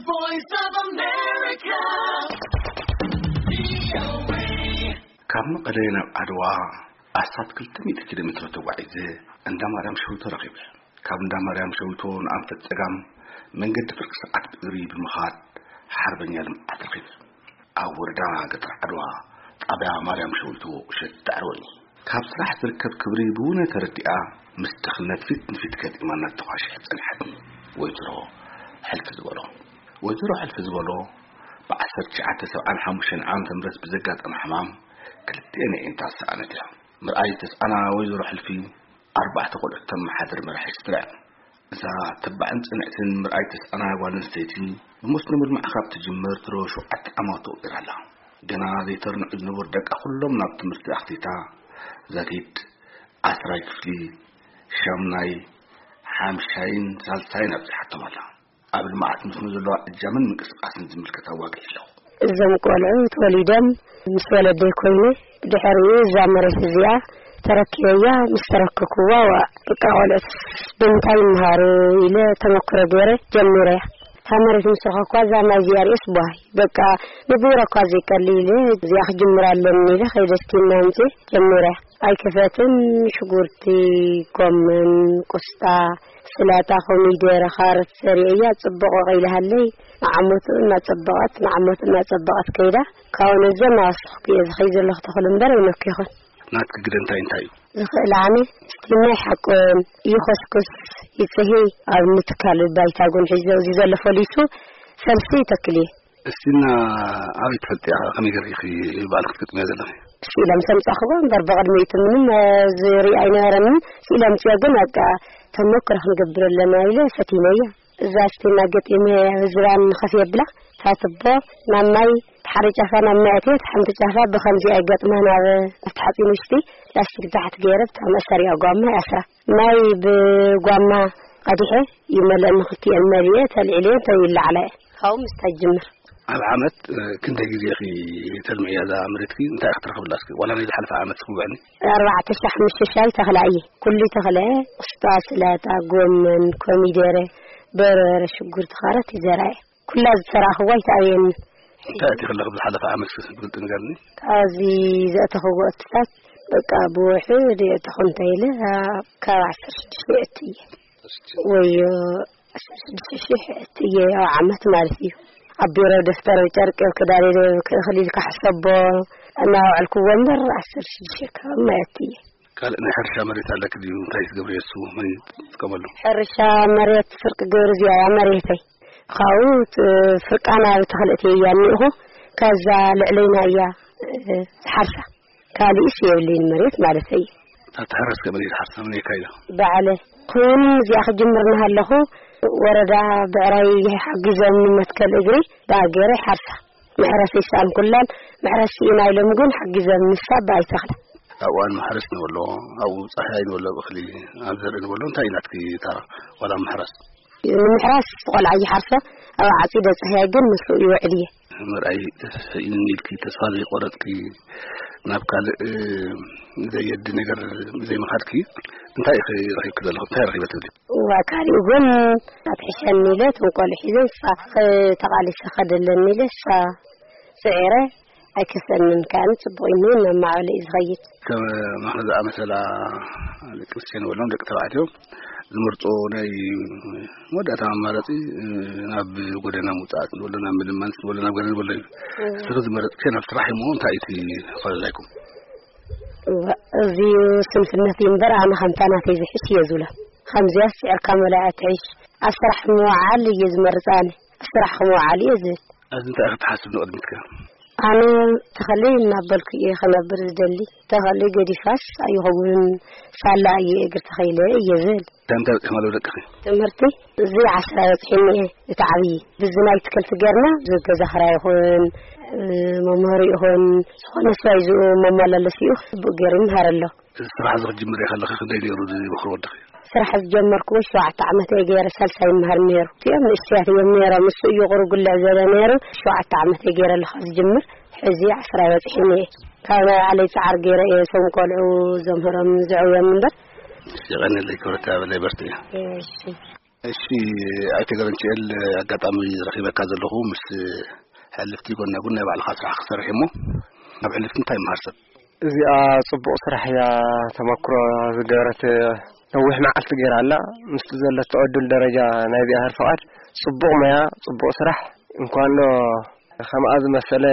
Voice of America. ካብ መቐለ ናብ ዓድዋ ኣስታት ክልተ ሚእቲ ኪሎ ሜትሮ ተጓዒዘ እንዳ ማርያም ሸዊቶ ረኺበ። ካብ እንዳ ማርያም ሸዊቶ ንኣንፈት ጸጋም መንገዲ ፍርቂ ሰዓት ብእግሪ ብምኻድ ሓርበኛ ልምዓት ረኺበ። ኣብ ወረዳ ገጠር ዓድዋ ጣብያ ማርያም ሸዊቶ እሸት ዳዕረወኒ። ካብ ስራሕ ዝርከብ ክብሪ ብውነ ተረዲኣ ምስ ድኽነት ፊት ንፊት ገጢማ እናተኳሸሐት ጸንሐትኒ። ወይዘሮ ሕልፊ ዝበሎ ወይዘሮ ሕልፊ ዝበሎ ብ1975 ዓመተ ምህረት ብዘጋጠመ ሕማም ክልቲኤን ኣዒንታ ዝሰኣነት እያ። ምርኣይ ዝተስኣና ወይዘሮ ሕልፊ ኣርባዕተ ቆልዑት ተመሓድር መራሒ ስድራ እያ። እዛ ተባዕን ጽንዕትን ምርኣይ ተስኣና ጓል ኣንስተይቲ ብመስኖ ምልማዕ ካብ ትጅምር ድሮ ሸውዓተ ዓመቱ ገይራ ኣላ። ገና ዘይተርንዑ ዝነበሩ ደቃ ኩሎም ናብ ትምህርቲ ኣኽቲታ ዘቲድ ዓስራይ ክፍሊ ሻምናይ ሓምሻይን ሳልሳይን ኣብጺሓቶም ኣላ። ኣብ ልምዓት መስኖ ዘለዋ እጃምን ምንቅስቃስን ዝምልከት ኣዋግዒ ኣለኹ። እዞም ቆልዑ ተወሊዶም ምስ ወለደይ ኮይነ ድሕሪኡ እዛ መሬት እዚኣ ተረኪበያ። ምስ ተረከብኩዋ ዋ በቃ ቆልዑት ብምንታይ ይምሃሩ ኢለ ተመክሮ ገይረ ጀሚረያ። እታ መሬት ምስ ረኸብኳ እዛ ማይ እዚኣ ርእስ ቧይ በቃ ንብረኳ ዘይቀሊ ኢለ እዚኣ ክጅምር ኣለኒ ኢለ ከይደስቲና ኣምፅእ ጀሚረያ። ኣይከፈትን ሽጉርቲ፣ ጎመን፣ ቆስጣ፣ ስላጣ፣ ኮሚደረ፣ ካሮት ዘሪአያ ጽቡቕ ወቒልሃለይ። ንዓመቱ እናጸበቐት ንዓመቱ እናጸበቐት ከይዳ ካብኡ ነዘ እናወሰኽኩ እየ ዝኸይ ዘለኹ ተኽሉ እምበር ኣይነኩ ይኹን። ናትኪ ግደ እንታይ እንታይ እዩ? ዝኽእል ኣነ ስቲና ይሓቁን ይኾስኩስ ይጽሂ ኣብ ንትካል ባይታ ጉን ሒዘ እዚ ዘሎ ፈሊሱ ፈልሲ ይተክል እየ። እስቲና ኣበይ ትፈልጥያ? ከመይ ገርኪ ባዕልኪ ክትገጥምያ ዘለኺ? ስኢሎም ሰምጻኽዎ እምበር ብቕድሚኡ ምንም ዝርኢ ኣይነበረንን። ስኢሎም ጽዮ ግን በቃ ተመክሮ ክንገብር ኣለና ኢለ ፈቲነዮ። እዛ እስቲና ገጢመ ዝባን ንኸፍ የብላ ታትቦ ናብ ማይ ሓደ ጫፋ ናብ ማይ ኣትየት ሓንቲ ጫፋ ብኸምዚ ኣይገጥማ ናብ ኣብቲ ሓፂን ውሽጢ ላስቲክ ታሕቲ ገይረ ብታ መእሰሪያ ጓማ ይኣስራ። ማይ ብጓማ ቀዲሐ ይመልአ ንክልቲኤን መሊኤ ተልዒለየን ተው ይለዓላ እየ። ካብኡ ምስታይ ጅምር። ኣብ ዓመት ክንደይ ግዜ ኢኺ ተልምዕያ እዛ መሬትኪ? እንታይ ኢኺ ትረኽብላ እስኪ? ዋላ ናይ ዝሓለፈ ዓመት እስኪ ውዕኒ። ኣርባዕተ ሻሕ ምስ ሸሻይ ተኽላ እየ። ኩሉ ተኽለ፣ ቁስጣ፣ ስላጣ፣ ጎመን፣ ኮሚደረ፣ በርበረ፣ ሽጉርቲ፣ ካሮት ይዘራየ። ኩላ ዝተራኽቦ ኣይተኣብየኒ። እንታይ ኣእቲኺ ኣለኺ ብዝሓለፈ ዓመት እስኪ ብግልፂ ንገርኒ። ካብዚ ዘእተኽዎ እትታት በቃ ብውሕድ የእተኹ እንተ ኢለ ካብ ዓሰርተ ሽዱሽተ እየ። ወዮ ዓሰርተ ሽዱሽተ ሺሕ እየ ኣብ ዓመት ማለት እዩ። ኣብ ቢሮ ደፍተር ጨርቂ ክዳን ክእኽል ኢልካ ሕሰቦ እናውዐልክዎ እምበር ዓሰርተ ሽዱሽተ ከባቢ ማለት እየ። ካልእ ናይ ሕርሻ መሬት ኣለኪ ድዩ? እንታይ ትገብርዮ እሱ መን ይጥቀመሉ? ሕርሻ መሬት ስርቂ ግብሪ እዚኣ እያ መሬተይ። ካብኡ ት-፣ ፍርቃና ብተኽልእቲ እያ እኒእኹ። ከዛ ልዕለይና እያ፣ እ፣ ዝሓርሳ። ካልእስ የብለይን መሬት ማለት እዩ። እታ ትሕረስ ከመይ ትሓርሳ? መን የካይዳ? ባዕለ። ኩን እዚኣ ክጅምር እናሃለኹ ወረዳ ብዕራይ ሓጊዞም ንመትከል እግሪ ብኣገረ ሓርሳ። መሕረስ ይሰኣን ኩላን መሕረስ ስኢና ኢሎም ግን ሓጊዞም ንሳ ብኣይ ተኽላ። ኣብ እዋን ማሕረስ ንበሎ፣ ኣብኡ ጻህያይ ንበሎ፣ እኽሊ ኣብ ዘርኢ ንበሎ፣ እንታይ እዩ ናትኪ ታራ? ዋላ ምሕራስ? ንምሕራስ ቆልዓ ይሓርሶ፣ ኣብ ዓጺደ ጻህያይ ግን ምስኡ ይውዕል እየ። ምርኣይ ተስፍኢን ኢልኪ ተስፋ ዘይቆረጥኪ፣ ናብ ካልእ፣ እ፣ ዘየዲ ነገር ዘይምኻድኪ፣ እንታይ ኢኺ ረኺብኪ ዘለኹ? እንታይ ረኺበ ትብሊ? እዋ፣ ካሊእ እውን ኣትሕሸኒ ኢለ፣ እቶም ቆልዑ ሒዘ፣ ንሳ ተቓሊሰ ከደለኒ ኢለ፣ ንሳ ጽዒረ፣ ኣይከሰንን፣ ከኣ ጽቡቕ እዩ፣ እናማዕበለ እዩ ዝኸይድ። ከም ማኽዳ ዝኣመሰላ ደቂ ኣንስትዮ ንበሎም፣ ደቂ ተባዕትዮ ዝመርጾ ናይ መወዳእታ ኣማራጺ፣ ናብ ጎደና ምውጻእ ንበሎ፣ ናብ ምልማን ንበሎ፣ ናብ ገለ ንበሎ እዩ። እም። እስኺ ዝመረጽክዮ ናብ ስራሕ እሞ፣ እንታይ እዩ እቲ ፈላላይኩም? እዋ፣ እዚ ስንፍነት እዩ እምበር፣ ኣነ ከምታ ናተይ ዝሕሽ እየ ዝብሎ። ከምዚያስ ስዒርካ መላእ ትሕሽ። ኣብ ስራሕ ምውዓል እየ ዝመርጽ ኣነ። ኣብ ስራሕ ክምውዓል እየ ዝብል። ኣብዚ እንታይ ክትሓስብ ንቕድሚትከ? ኣነ ተኸሊ እናበልኩ እየ ክነብር ዝደሊ። ተኸሊ ገዲፋስ ኣይኸውን፣ ሳላ እየ እግሪ ተኸይለ እየ ዝብል። እንታይ እንታይ በፂሕማ ኣለዉ ደቅኺ? ትምህርቲ እዚ ዓስራ በፂሐኒ እየ፣ እቲ ዓብዪ። ብዚ ናይ ትክልቲ ገርና፣ እዚ ገዛ ኽራይ ይኹን፣ እ፣ መምህሩ ይኹን፣ ዝኾነ ስራይ ዝኡ መመላለሲኡ፣ ብኡ ገይሩ ይምሃር ኣሎ። እዚ ስራሕ እዚ ክትጅምር ከለኺ ክንደይ ነይሩ ዝመኽሮ ወድኺ? ስራሕ ዝጀመርኩዎ ሸውዓተ ዓመት እየ ገይረ፣ ሳልሳይ ይምሃር ነይሩ። እቲኦም ንእሽተያት እዮም ነይሮም፣ እሱ እዩ ቁሩብ ጉልዕ ዝበለ ነይሩ። ሸውዓተ ዓመት እየ ገይረ ኣለኹ ዝጅምር፣ ሕዚ ዓስራ በፂሐኒ እየ። ካብ ናይ ባዕለይ ፃዕሪ ገይረ እየ እቶም ቆልዑ ዘምህሮም ዘዕብዮም እምበር። እሺ፣ የቐንየለይ ክብረት፣ በርትዒ። እሺ። እሺ፣ ኣይተ ገረንችኤል፣ ኣጋጣሚ ረኺበካ ዘለኹ ምስ ሕልፍቲ ጎና ጎን ናይ ባዕልኻ ስራሕ ክሰርሕ እሞ፣ ኣብ ሕልፍቲ እንታይ ይመሃር ሰብ? እዚኣ ጽቡቕ ስራሕ እያ። ተመክሮ ዝገበረት ነዊሕ መዓልቲ ገይራ ኣላ። ምስቲ ዘለቶ ዕድል ደረጃ ናይ እግዚኣብሔር ፍቓድ ጽቡቕ ሞያ፣ ጽቡቕ ስራሕ። እንኳን ዶ ከምኣ ዝመሰለ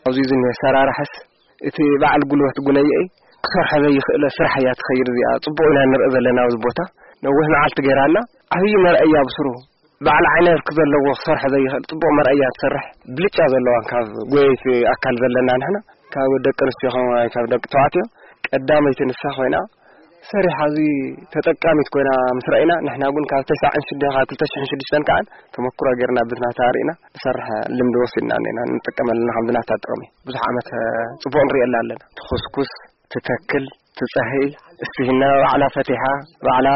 ኣብዚ ዝኒሀ ሰራራሕስ እቲ በዓል ጉልበት ጉነየይ ክሰርሖ ዘይኽእለ ስራሕ እያ ትኸይድ እዚኣ። ጽቡቕ ኢና ንርኢ ዘለና ኣብዚ ቦታ። ነዊሕ መዓልቲ ገይራ ኣላ። ዓብዪ መርኣያ ብስሩ በዓል ዓይነ ብርኪ ዘለዎ ክሰርሖ ዘይኽእል ጽቡቕ መርኣያ ትሰርሕ። ብልጫ ዘለዋ ካብ ጎየይቲ ኣካል ዘለና ንሕና ካብ ደቂ ኣንስትዮ ኸማይ ካብ ደቂ ተባዕትዮ ቀዳመይቲ ንሳ ኮይና ሰሪሓ እዚ ተጠቃሚት ኮይና ምስ ረኣይና፣ ንሕና እውን ካብ ተስዓን ሽዱሽተን ካብ ክልተ ሽሕን ሽዱሽተን ከኣ ተመክሮ ጌርና ብናታ ርኢና ንሰርሕ ልምዲ ወሲድና እኒና ንጥቀመልና ከም ብናታ ጥቕሚ። ብዙሕ ዓመት፣ እ፣ ጽቡቕ ንሪኤላ ኣለና። ትኹስኩስ፣ ትተክል፣ ትጸህይ፣ እስቲሂና ባዕላ ፈቲሓ፣ ባዕላ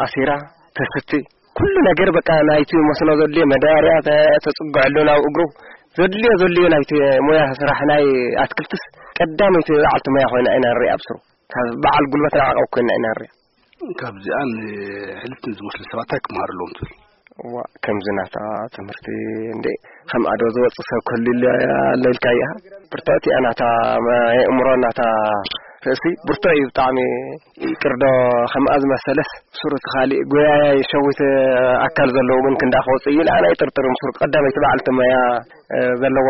ኣሲራ፣ ተስቲ። ኩሉ ነገር በቃ ናይቲ መስኖ ዘድልዮ መዳበርያ ተ-፣ ተጽግዐሉ ናብ እግሩ። ዘድልዮ ዘድልዮ ናይቲ ሞያ ስራሕ ናይ ኣትክልትስ ቀዳመይቲ በዓልቲ ሞያ ኮይና ኢና ንሪኣ ብስሩ። ካብ በዓል ጉልበት ንዓቐብ ኮይና ኢና ንሪኣ። ካብዚኣ ንሕልፍትን ዝመስሉ ሰባት እንታይ ክመሃሩ ኣለዎም ትብል? እዋ፣ ከምዚ ናታ ትምህርቲ እንዴ፣ ከም ኣዶ ዝወጽእ ሰብ ክህሉ ኢለ ኣለልካ እያ። ብርትዕቲ እያ ናታ መ-፣ የእምሮ ናታ ርእሲ ብርቱዕ እዩ ብጣዕሚ። ይቅርዶ ከምኣ ዝመሰለስ ሱር እቲ ካሊእ ጎያያይ ሸዊት ኣካል ዘለዎ ግን ክንዳ ክወጽእ እዩ ኢለ ኣነ ኣይጥርጥርን። ሱር ቀዳመይቲ በዓልቲ መያ፣ እ፣ ዘለዋ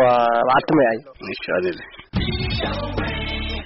በዓልቲ መያ እዩ። እሺ፣ ኣዜብ።